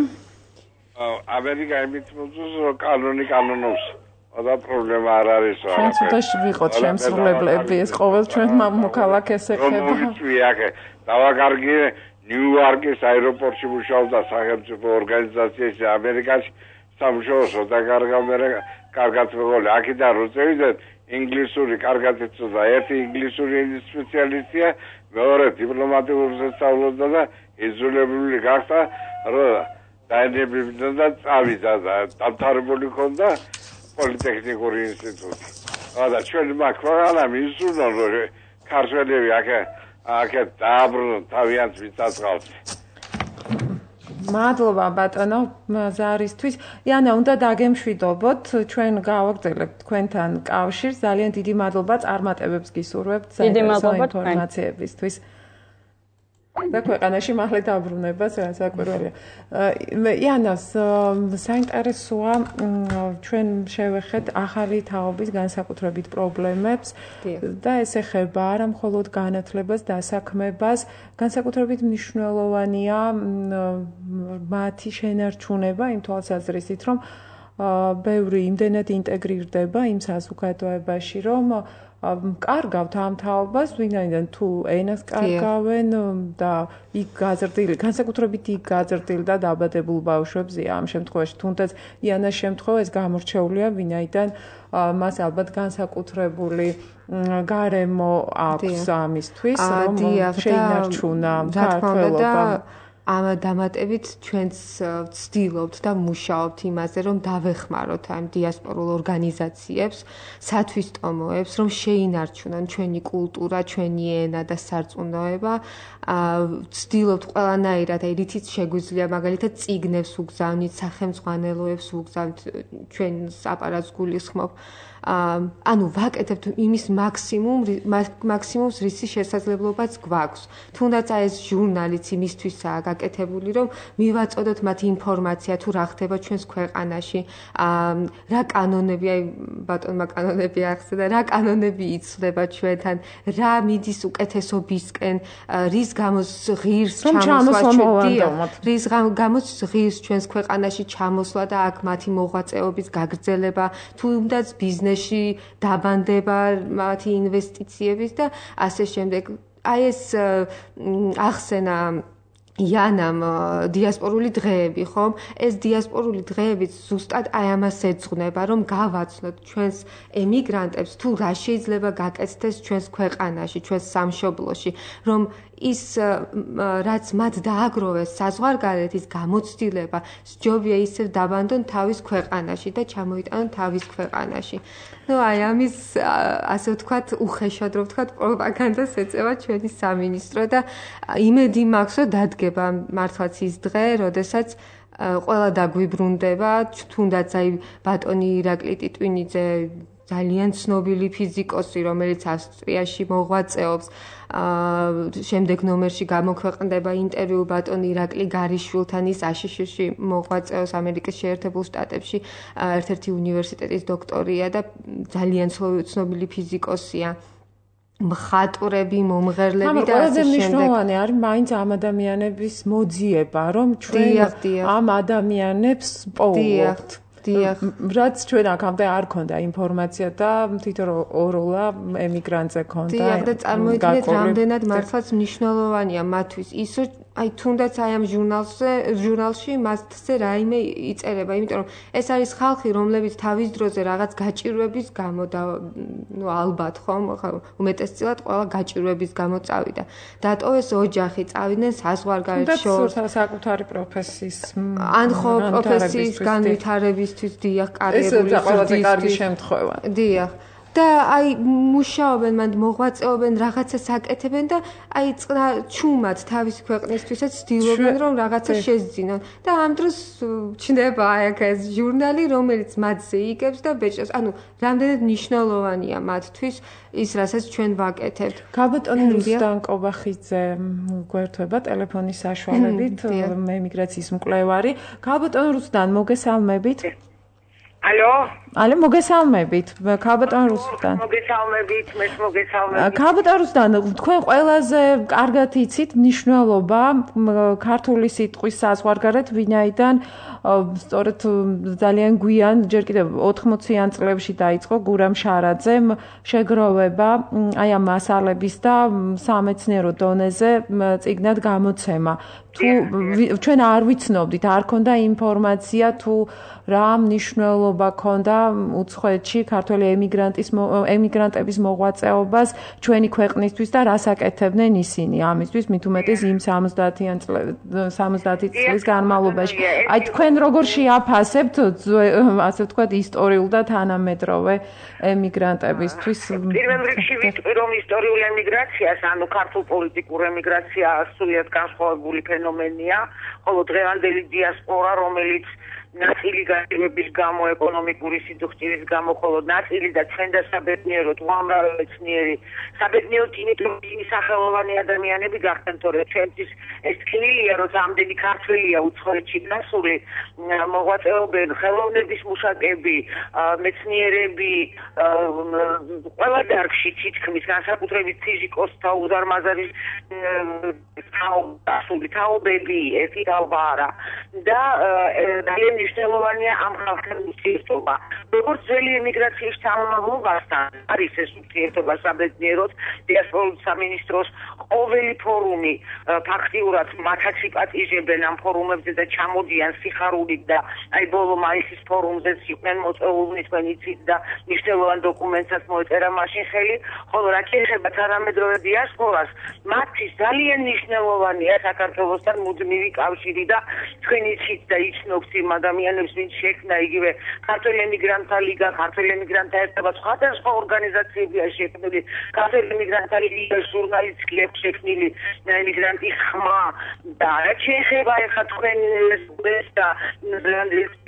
ამერიკა იმით მოძოს რომ კანონობს. და პრობლემა არ არის. ჩვენ ცოტაში ვიყოთ შემსრულებლები, ეს ყოველ ჩვენ მოქალაქეს ეხება. დავაკარგი ნიუ-იორკის აეროპორტში მუშაობდა სახელმწიფო ორგანიზაციაში ამერიკაში სამუშაოსო და კარგად მეგობრული. აქედან რო წევიდეთ ინგლისური კარგად ეცოდა. ერთი ინგლისური სპეციალისტია, მეორე დიპლომატიურ სასწავლობდა და იზოლებული გახდა, რომ დაინებებდა და წავიდა და დამთავრებული ჰქონდა პოლიტექნიკური ინსტიტუტი. და ჩვენ მაგ ქვეყანამ ისურვონ რომ ქართველები აქ დააბრუნონ თავიანთ მიწა-წყალზე. მადლობა ბატონო ზარისთვის. იანა, უნდა დაგემშვიდობოთ, ჩვენ გავაგრძელებთ თქვენთან კავშირს. ძალიან დიდი მადლობა წარმატებებს გისურვებთ საინტერესო ინფორმაციებისთვის. და ქვეყანაში მალე დაბრუნება საკვირველია. იანას საინტერესოა ჩვენ შევეხეთ ახალი თაობის განსაკუთრებით პრობლემებს და ეს ეხება არა მხოლოდ განათლებას, დასაქმებას, განსაკუთრებით მნიშვნელოვანია მათი შენარჩუნება იმ თვალსაზრისით, რომ ბევრი იმდენად ინტეგრირდება იმ საზოგადოებაში, რომ კარგავთ ამ თაობას, ვინაიდან თუ ენას კარგავენ და იქ გაზრდილი, განსაკუთრებით იქ გაზრდილ და დაბადებულ ბავშვებზე ამ შემთხვევაში, თუნდაც იანას შემთხვევა ეს გამორჩეულია, ვინაიდან მას ალბათ განსაკუთრებული გარემო აქვს ამისთვის, რომ შეინარჩუნა ქართველობა. ამ დამატებით ჩვენც ვცდილობთ და მუშაობთ იმაზე, რომ დავეხმაროთ ამ დიასპორულ ორგანიზაციებს, სათვისტომოებს, რომ შეინარჩუნონ ჩვენი კულტურა, ჩვენი ენა და სარწმუნოება. ვცდილობთ ყველანაირად, რითიც შეგვიძლია, მაგალითად, წიგნებს ვუგზავნით, სახელმძღვანელოებს ვუგზავნით, ჩვენს აპარატს გულისხმობ. ანუ ვაკეთებთ იმის მაქსიმუმს, რისი შესაძლებლობაც გვაქვს. თუნდაც ეს ჟურნალიც იმისთვისაა გაკეთებული, რომ მივაწოდოთ მათ ინფორმაცია თუ რა ხდება ჩვენს ქვეყანაში, რა კანონები, ბატონმა კანონები ახსნა, რა კანონები იცვლება ჩვენთან, რა მიდის უკეთესობისკენ, რის გამოც ღირს ღირს ჩვენს ქვეყანაში ჩამოსვლა და აქ მათი მოღვაწეობის გაგრძელება, თუნდაც ბიზნესში დაბანდება მათი ინვესტიციების და ასე შემდეგ. აი ეს ახსენა იანამ დიასპორული დღეები, ხომ? ეს დიასპორული დღეებიც ზუსტად აი ამას ეძღვნება, რომ გავაცნოთ ჩვენს ემიგრანტებს თუ რა შეიძლება გაკეთდეს ჩვენს ქვეყანაში, ჩვენს სამშობლოში, რომ ის რაც მათ დააგროვეს საზღვარგარეთ, ის გამოცდილება სჯობია ისევ დაბანდონ თავის ქვეყანაში და ჩამოიტანონ თავის ქვეყანაში. ნუ აი ამის ასე ვთქვათ, უხეშად რომ ვთქვათ, პროპაგანდას ეწევა ჩვენი სამინისტრო და იმედი მაქვს, რომ დადგება მართლაც ის დღე, როდესაც ყველა დაგვიბრუნდება, თუნდაც აი ბატონი ირაკლი ტიტვინიძე ძალიან ცნობილი ფიზიკოსი, რომელიც ავსტრიაში მოღვაწეობს, შემდეგ ნომერში გამოქვეყნდება ინტერვიუ ბატონ ირაკლი გარიშვილთან, ის აშშ-ში მოღვაწეობს ამერიკის შეერთებულ შტატებში, ერთ-ერთი უნივერსიტეტის დოქტორია და ძალიან ცნობილი ფიზიკოსია. მხატვრები, მომღერლები და ასე შემდეგ. მნიშვნელოვანი არის მაინც ამ ადამიანების მოძიება, რომ ჩვენ ამ ადამიანებს პოულობთ. რაც ჩვენ აქამდე არ ქონდა ინფორმაცია და თვითონ ოროლა ემიგრანტზე ქონდა. დიახ, და წარმოიდგინეთ, რამდენად მართლაც მნიშვნელოვანია მათთვის ის, რომ აი თუნდაც აი ამ ჟურნალში მასზე რაიმე იწერება, იმიტომ რომ ეს არის ხალხი, რომლებიც თავის დროზე რაღაც გაჭირვების გამო და ნუ ალბათ ხომ, უმეტესწილად ყველა გაჭირვების გამო წავიდა. დატოვეს ოჯახი, წავიდნენ საზღვარგარეთ შორს, საკუთარი პროფესიის ან ხო პროფესიის განვითარებისთვის, დიახ, კარიერული ეს ყველაზე კარგი შემთხვევა. დიახ. და აი მუშაობენ, მანდ მოღვაწეობენ, რაღაცას აკეთებენ და აი ჩუმად თავის ქვეყნისთვისაც ცდილობენ, რომ რაღაცა შეძინონ. და ამ დროს ჩნდება აი ეს ჟურნალი, რომელიც მათზე იგებს და ბეჭდავს. ანუ რამდენად მნიშვნელოვანია მათთვის ის, რასაც ჩვენ ვაკეთებთ. გაბატონი რუსდან კობახიძე გვერდება ტელეფონის საშუალებით, ემიგრაციის მკვლევარი. გაბატონ რუსდან, მოგესალმებით. ალო, მოგესალმებით. ქაბატონ რუსდან. მოგესალმებით, მეც მოგესალმებით. ქაბატონ რუსდან, თქვენ ყველაზე კარგად იცით მნიშვნელობა ქართული სიტყვის საზღვარგარეთ, ვინაიდან სწორედ ძალიან გვიან, ჯერ კიდევ 80-იან წლებში დაიწყო გურამ შარაძემ შეგროვება აი ამ მასალების და სამეცნიერო დონეზე წიგნად გამოცემა. თუ ჩვენ არ ვიცნობდით, არ ქონდა ინფორმაცია თუ რა მნიშვნელობა ქონდა უცხოეთში ქართველი ემიგრანტების მოღვაწეობას ჩვენი ქვეყნისთვის და რას აკეთებდნენ ისინი ამისთვის, მით უმეტეს იმ 70 წლის განმავლობაში. აი თქვენ როგორ შეაფასებთ, ასე ვთქვათ, ისტორიულ და თანამედროვე ემიგრანტებისთვის? პირველ რიგში ვიტყვი, რომ ისტორიული ემიგრაციას, ანუ ქართულ პოლიტიკურ ემიგრაციას სრულიად განსხვავებული ფენომენია, ხოლო დღევანდელი დიასპორა, რომელიც ნაწილი გაჭირვების გამო, ეკონომიკური სიძუხჭირის გამო, ხოლო ნაწილი და ჩვენ და საბედნიეროდ უამრავი მეცნიერი, საბედნიეროდ იმიტომ ისინი სახელოვანი ადამიანები გახდნენ, თორე ჩვენთვის ეს თქმილია, რომ ამდენი ქართველია უცხოეთში დასული, მოღვაწეობენ ხელოვნების მუშაკები, მეცნიერები, ყველა დარგში თითქმის, განსაკუთრებით ფიზიკოსთა უზარმაზარი დასული თაობები, ერთი თაობა არა. და ძალიან მნიშვნელოვანია ამ ხალხთან ურთიერთობა. როგორც ძველი ემიგრაციის თანამდებობასთან არის ეს ურთიერთობა საბედნიეროდ დიასპორულ სამინისტროს ყოველი ფორუმი ფაქტიურად მათაც იპატიჟებენ ამ ფორუმებზე და ჩამოდიან სიხარულით და აი ბოლო მაისის ფორუმზეც იყვნენ მოწვეულნი თქვენ იცით და მნიშვნელოვან დოკუმენტსაც მოეწერა მაშინ ხელი, ხოლო რაც შეეხება თანამედროვე დიასპორას, მათთვის ძალიან მნიშვნელოვანია საქართველოსთან მუდმივი კავშირი და თქვენ იცით და იცნობთ იმ ადამიანებს, ვინც შექმნა იგივე ქართველ ემიგრანტთა ლიგა, ქართველ ემიგრანტთა ერთობა, სხვადასხვა ორგანიზაციებია შექმნილი, ქართველ ემიგრანტთა ლიგა, ჟურნალისტი შექმნილი ემიგრანტის ხმა და რაც შეეხება ახლა თქვენ ეს და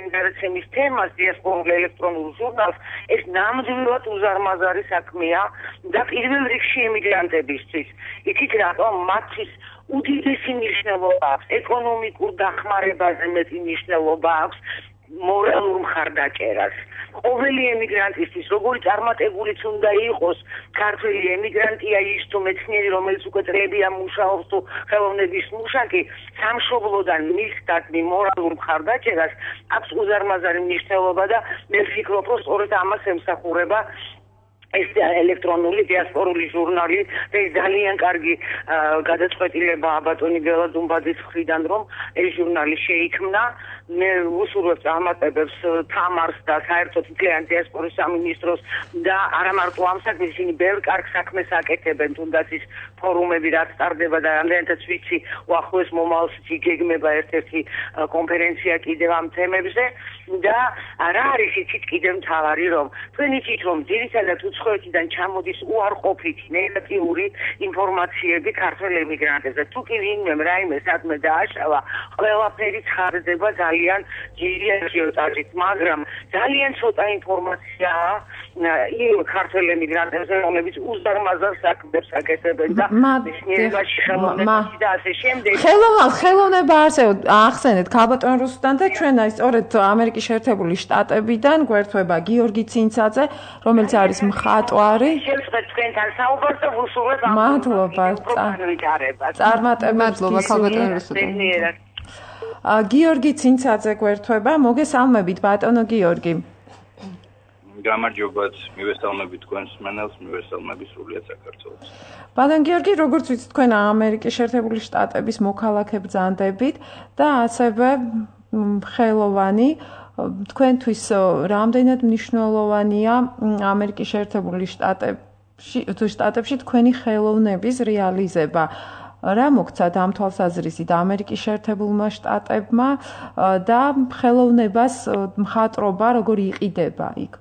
ემიგრაციის თემას დიასპორულ ელექტრონულ ჟურნალს, ეს ნამდვილად უზარმაზარი საქმეა და პირველ რიგში ემიგრანტებისთვის. იცით რატომ? მათთვის უდიდესი მნიშვნელობა აქვს, ეკონომიკურ დახმარებაზე მეტი მნიშვნელობა აქვს, მორალურ მხარდაჭერას. ყოველი ემიგრანტისთვის, როგორი წარმატებულიც უნდა იყოს, ქართველი ემიგრანტია ის თუ მეცნიერი, რომელიც უკვე წლებია მუშაობს თუ ხელოვნების მუშაკი, სამშობლოდან მისდადმი მორალურ მხარდაჭერას აქვს უზარმაზარი მნიშვნელობა და მე ვფიქრობ, რომ სწორედ ამას ემსახურება ეს ელექტრონული დიასპორული ჟურნალი და ის ძალიან კარგი გადაწყვეტილებაა ბატონი ბელა დუმბაძის მხრიდან, რომ ეს ჟურნალი შეიქმნა. მე უსურვებ წარმატებებს თამარს და საერთოდ მთლიან დიასპორის სამინისტროს და არა მარტო ამ საქმეს, ისინი ბევრ კარგ საქმეს აკეთებენ, თუნდაც ის ფორუმები რაც ტარდება და რამდენადაც ვიცი, უახლოეს მომავალშიც იგეგმება ერთ-ერთი კონფერენცია კიდევ ამ თემებზე და რა არის იცით კიდევ მთავარი, რომ თქვენ იცით, რომ ძირითადად უცხოეთიდან ჩამოდის უარყოფითი ნეგატიური ინფორმაციები ქართველ ემიგრანტებზე. თუ კი ვინმემ რაიმე საქმე დააშავა, ყველაფერი ცხადდება ძალიან ძლიერი აჟიოტაჟით, მაგრამ ძალიან ცოტა ინფორმაციაა იმ ქართველ ემიგრანტებზე, რომლებიც უზარმაზარ საქმებს აკეთებენ და მეცნიერებაში, ხელოვნებაში და ასე შემდეგ. ხელოვნება ახსენეთ ქალბატონ რუსუდან და ჩვენ აი სწორედ ამერიკის შეერთებული შტატებიდან გვერდება გიორგი ცინცაძე, რომელიც არის მხატვარი. შევწყვეტ თქვენთან საუბარს და ვუსურვებ ამ მადლობა. წარმატებებს ქალბატონ რუსუდან. გიორგი ცინცაძე გვერდება, მოგესალმებით ბატონო გიორგი. გამარჯობათ, მივესალმებით თქვენს მსმენელს, მივესალმებით სრულიად საქართველოს. ბატონ გიორგი, როგორც ვიცით, თქვენ ამერიკის შეერთებული შტატების მოქალაქე ბრძანდებით და ასევე ხელოვანი. თქვენთვის რამდენად მნიშვნელოვანია ამერიკის შეერთებული შტატებში თქვენი ხელოვნების რეალიზება? რა მოგცათ ამ თვალსაზრისით ამერიკის შეერთებულმა შტატებმა და ხელოვნებას მხატვრობა როგორი იყიდება იქ?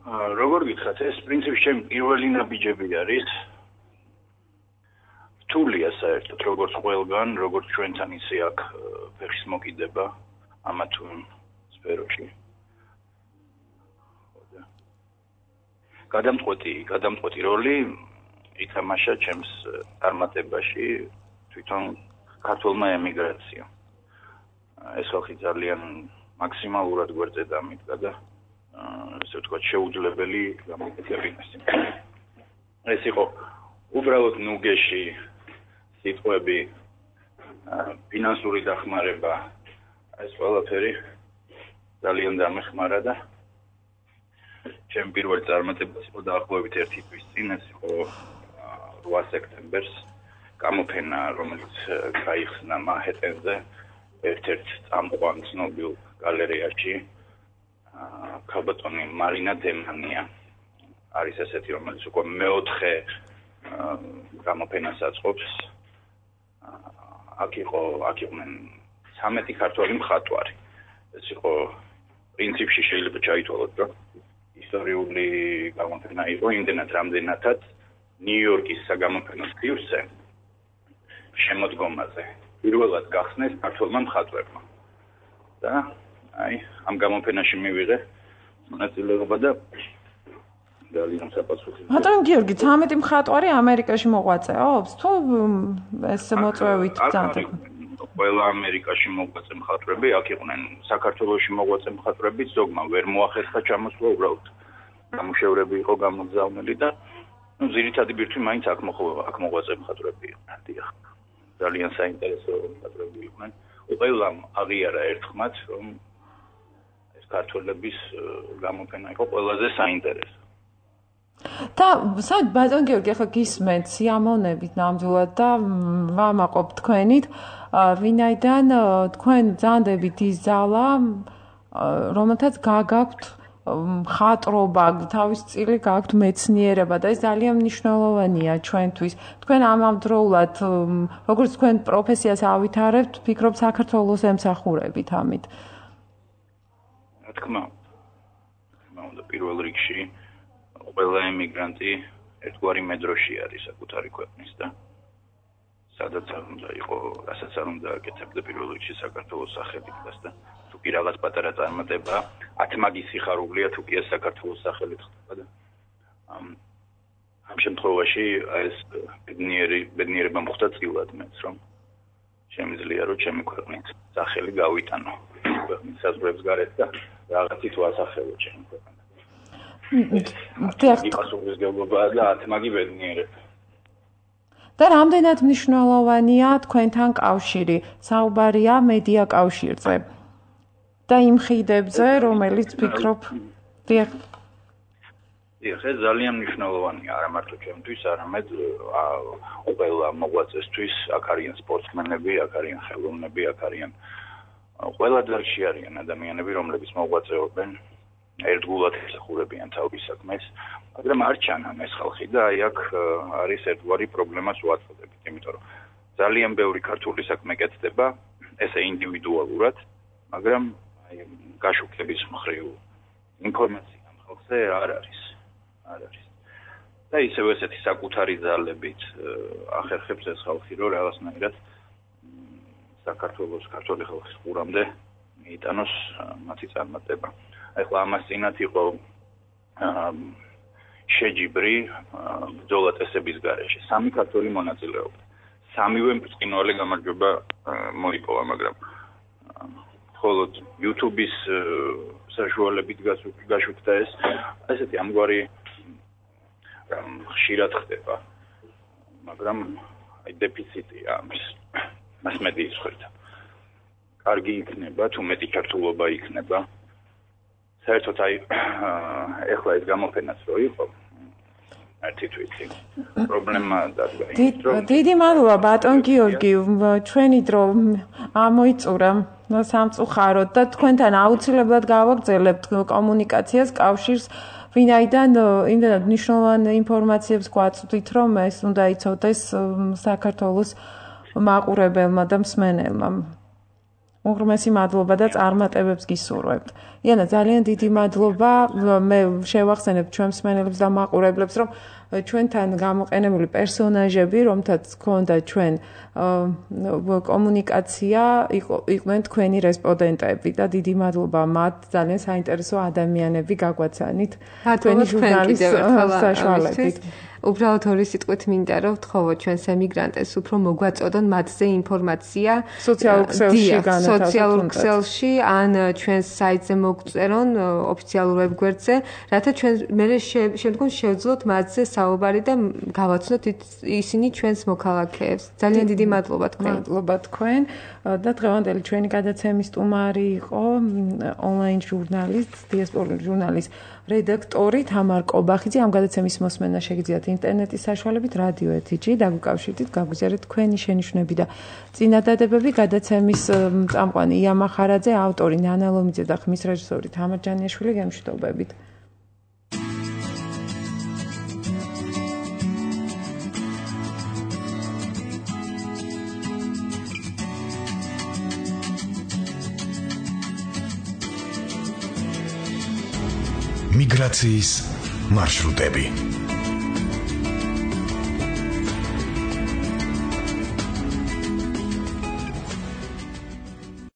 როგორ გითხრათ, ეს პრინციპში ჩემი პირველი ნაბიჯები არის. რთულია საერთოდ როგორც ყველგან, როგორც ჩვენთან ისე აქ ფეხის მოკიდება ამა თუ იმ სფეროში. გადამწყვეტი როლი ითამაშა ჩემს წარმატებაში თვითონ ქართულმა ემიგრაციამ. ეს ხალხი ძალიან მაქსიმალურად გვერდზე დამიდგა და ესე ვთქვათ შეუძლებელი გამოკეთებინეს. ეს იყო უბრალოდ ნუგეში სიტყვები, ფინანსური დახმარება, ეს ყველაფერი ძალიან დამეხმარა და ჩემი პირველი წარმატებაც იყო დაახლოებით 1 თვის წინ, ეს იყო 8 სექტემბერს გამოფენა, რომელიც გაიხსნა მანჰეტენზე ერთ-ერთ წამყვან ცნობილ გალერეაში. ქალბატონი მარინა დემანია არის ესეთი, რომელიც უკვე მეოთხე გამოფენას აწყობს. აქ იყვნენ 13 ქართველი მხატვარი. ეს იყო პრინციპში შეიძლება ჩაითვალოთ, რომ ისტორიული გამოფენა იყო იმდენად რამდენადაც ნიუ-იორკის საგამოფენო თვისე შემოდგომაზე პირველად გახსნეს ქართველმა მხატვრებმა. და აი ამ გამოფენაში მივიღე მონაწილეობა და ძალიან საპასუხისმგებლო. ბატონ გიორგი, 13 მხატვარი ამერიკაში მოღვაწეობს? თუ ეს მოწვევით ძანდება? ყველა ამერიკაში მოღვაწე მხატვრები აქ იყვნენ. საქართველოში მოღვაწე მხატვრები ზოგმა ვერ მოახერხა ჩამოსვლა, უბრალოდ გამუშევრები იყო გამოგზავნილი და ძირითადი ბირთვი მაინც აქ მოღვაწე მხატვრები იყვნენ, დიახ. ძალიან საინტერესო მხატვრები იყვნენ. ყველამ აღიარა ერთხმად, რომ ეს ქართველების გამოფენა იყო ყველაზე საინტერესო. და საერთოდ ბატონ გიორგი, ახლა გისმენთ სიამოვნებით ნამდვილად და ვამაყობ თქვენით, ვინაიდან თქვენ ძანდებით ის ძალა, რომელთაც გაგაქვთ მხატრობა, თავის წილი გაქვთ მეცნიერება და ეს ძალიან მნიშვნელოვანია ჩვენთვის. თქვენ ამავდროულად, როგორც თქვენ პროფესიას ავითარებთ, ვფიქრობ საქართველოს ემსახურებით ამით. რა თქმა უნდა, პირველ რიგში ყველა ემიგრანტი ერთგვარი მედროში არის საკუთარი ქვეყნის და სადაც არ უნდა იყო, რასაც არ უნდა აკეთებდა პირველ რიგში საქართველოს სახელით და თუ კი რაღაც პატარა წარმატება 10 მაგის სიხარულია, თუ კი ეს საქართველოს სახელით ხდება და ამ შემთხვევაში ეს ბედნიერება მოხდა წილად მეც, რომ შემიძლია რომ ჩემი ქვეყნის სახელი გავიტანო ქვეყნის საზღვრებს გარეთ და რაღაცით ვასახელო ჩემი ქვეყანას. დიახ. პასუხისმგებლობა და 10 მაგი ბედნიერება. და რამდენად მნიშვნელოვანია თქვენთან კავშირი? საუბარია მედია კავშირზე და იმ ხიდებზე, რომელიც ვფიქრობ, დიახ. ეს ძალიან მნიშვნელოვანია არა მარტო ჩემთვის, არამედ ყველა მოღვაწესთვის, აქ არიან სპორტსმენები, აქ არიან ხელოვნები, აქ არიან ყველა დარგში არიან ადამიანები, რომლებიც მოღვაწეობენ, ერთგულად ეხურებიან თავის საქმეს, მაგრამ არ ჩანან ეს ხალხი და აი აქ არის ერთგვარი პრობლემას უაწოდებით, იმიტომ რომ ძალიან ბევრი ქართული საქმე კეთდება, ესე ინდივიდუალურად, მაგრამ აი გაშუქების მხრივ ინფორმაცია ამ ხალხზე არ არის. და ისევ ესეთი საკუთარი ძალებით ახერხებს ეს ხალხი, რომ რაღაცნაირად საქართველოს ქართული ხალხის ყურამდე მიიტანოს მათი წარმატება. ახლა ამას წინათ იყო შეჯიბრი ბრძოლა წესების გარეშე. 3 ქართველი მონაწილეობდა. 3-ვე ბრწყინვალე გამარჯვება მოიპოვა, მაგრამ მხოლოდ YouTube-ის საშუალებით გაშუქდა ეს. ესეთი ამგვარი ხშირად ხდება, მაგრამ აი დეფიციტია ამის მასმედიის მხრიდან. კარგი იქნება, თუ მეტი ქართულობა იქნება. საერთოდ აი ეხლა ეს გამოფენაც რო იყო ერთი თვით პრობლემა დადგა. დიდი მადლობა ბატონ გიორგი, ჩვენი დრო ამოიწურა სამწუხაროდ და თქვენთან აუცილებლად გავაგრძელებთ კომუნიკაციას, კავშირს, ვინაიდან იმდენად მნიშვნელოვან ინფორმაციებს გვაწვდით, რომ ეს უნდა იცოდეს საქართველოს მაყურებელმა და მსმენელმა. უღრმესი მადლობა და წარმატებებს გისურვებთ. იანა, ძალიან დიდი მადლობა. მე შევახსენებ ჩვენ მსმენელებს და მაყურებლებს, რომ ჩვენთან გამოყენებული პერსონაჟები, რომთაც გქონდა ჩვენ კომუნიკაცია, იყვნენ თქვენი რესპონდენტები და დიდი მადლობა მათ, ძალიან საინტერესო ადამიანები გაგვაცანით თქვენი ჟურნალის საშუალებით. უბრალოდ ორი სიტყვით მინდა რომ ვთხოვოთ ჩვენს ემიგრანტებს უფრო მოგვაწოდონ მათზე ინფორმაცია სოციალურ ქსელში ან ჩვენს საიტზე მოგწერონ ოფიციალურ ვებგვერდზე, რათა ჩვენ მე შემდგომ შევძლოთ მათზე საუბარი და გავაცნოთ ისინი ჩვენს მოქალაქეებს. ძალიან დიდი მადლობა თქვენ. მადლობა თქვენ და დღევანდელი ჩვენი გადაცემის სტუმარი იყო ონლაინ ჟურნალის, დიასპორული ჟურნალის რედაქტორი თამარ კობახიძე. ამ გადაცემის მოსმენა შეგიძლიათ ინტერნეტის საშუალებით რადიო ეთიჯი, დაგვიკავშირდით, გაგვიზიარეთ თქვენი შენიშვნები და წინადადებები. გადაცემის წამყვანი ია მახარაძე, ავტორი ნანა ლომიძე და ხმის რეჟისორი თამარ ჯანიაშვილი. გემშვიდობებით. მიგრაციის მარშრუტები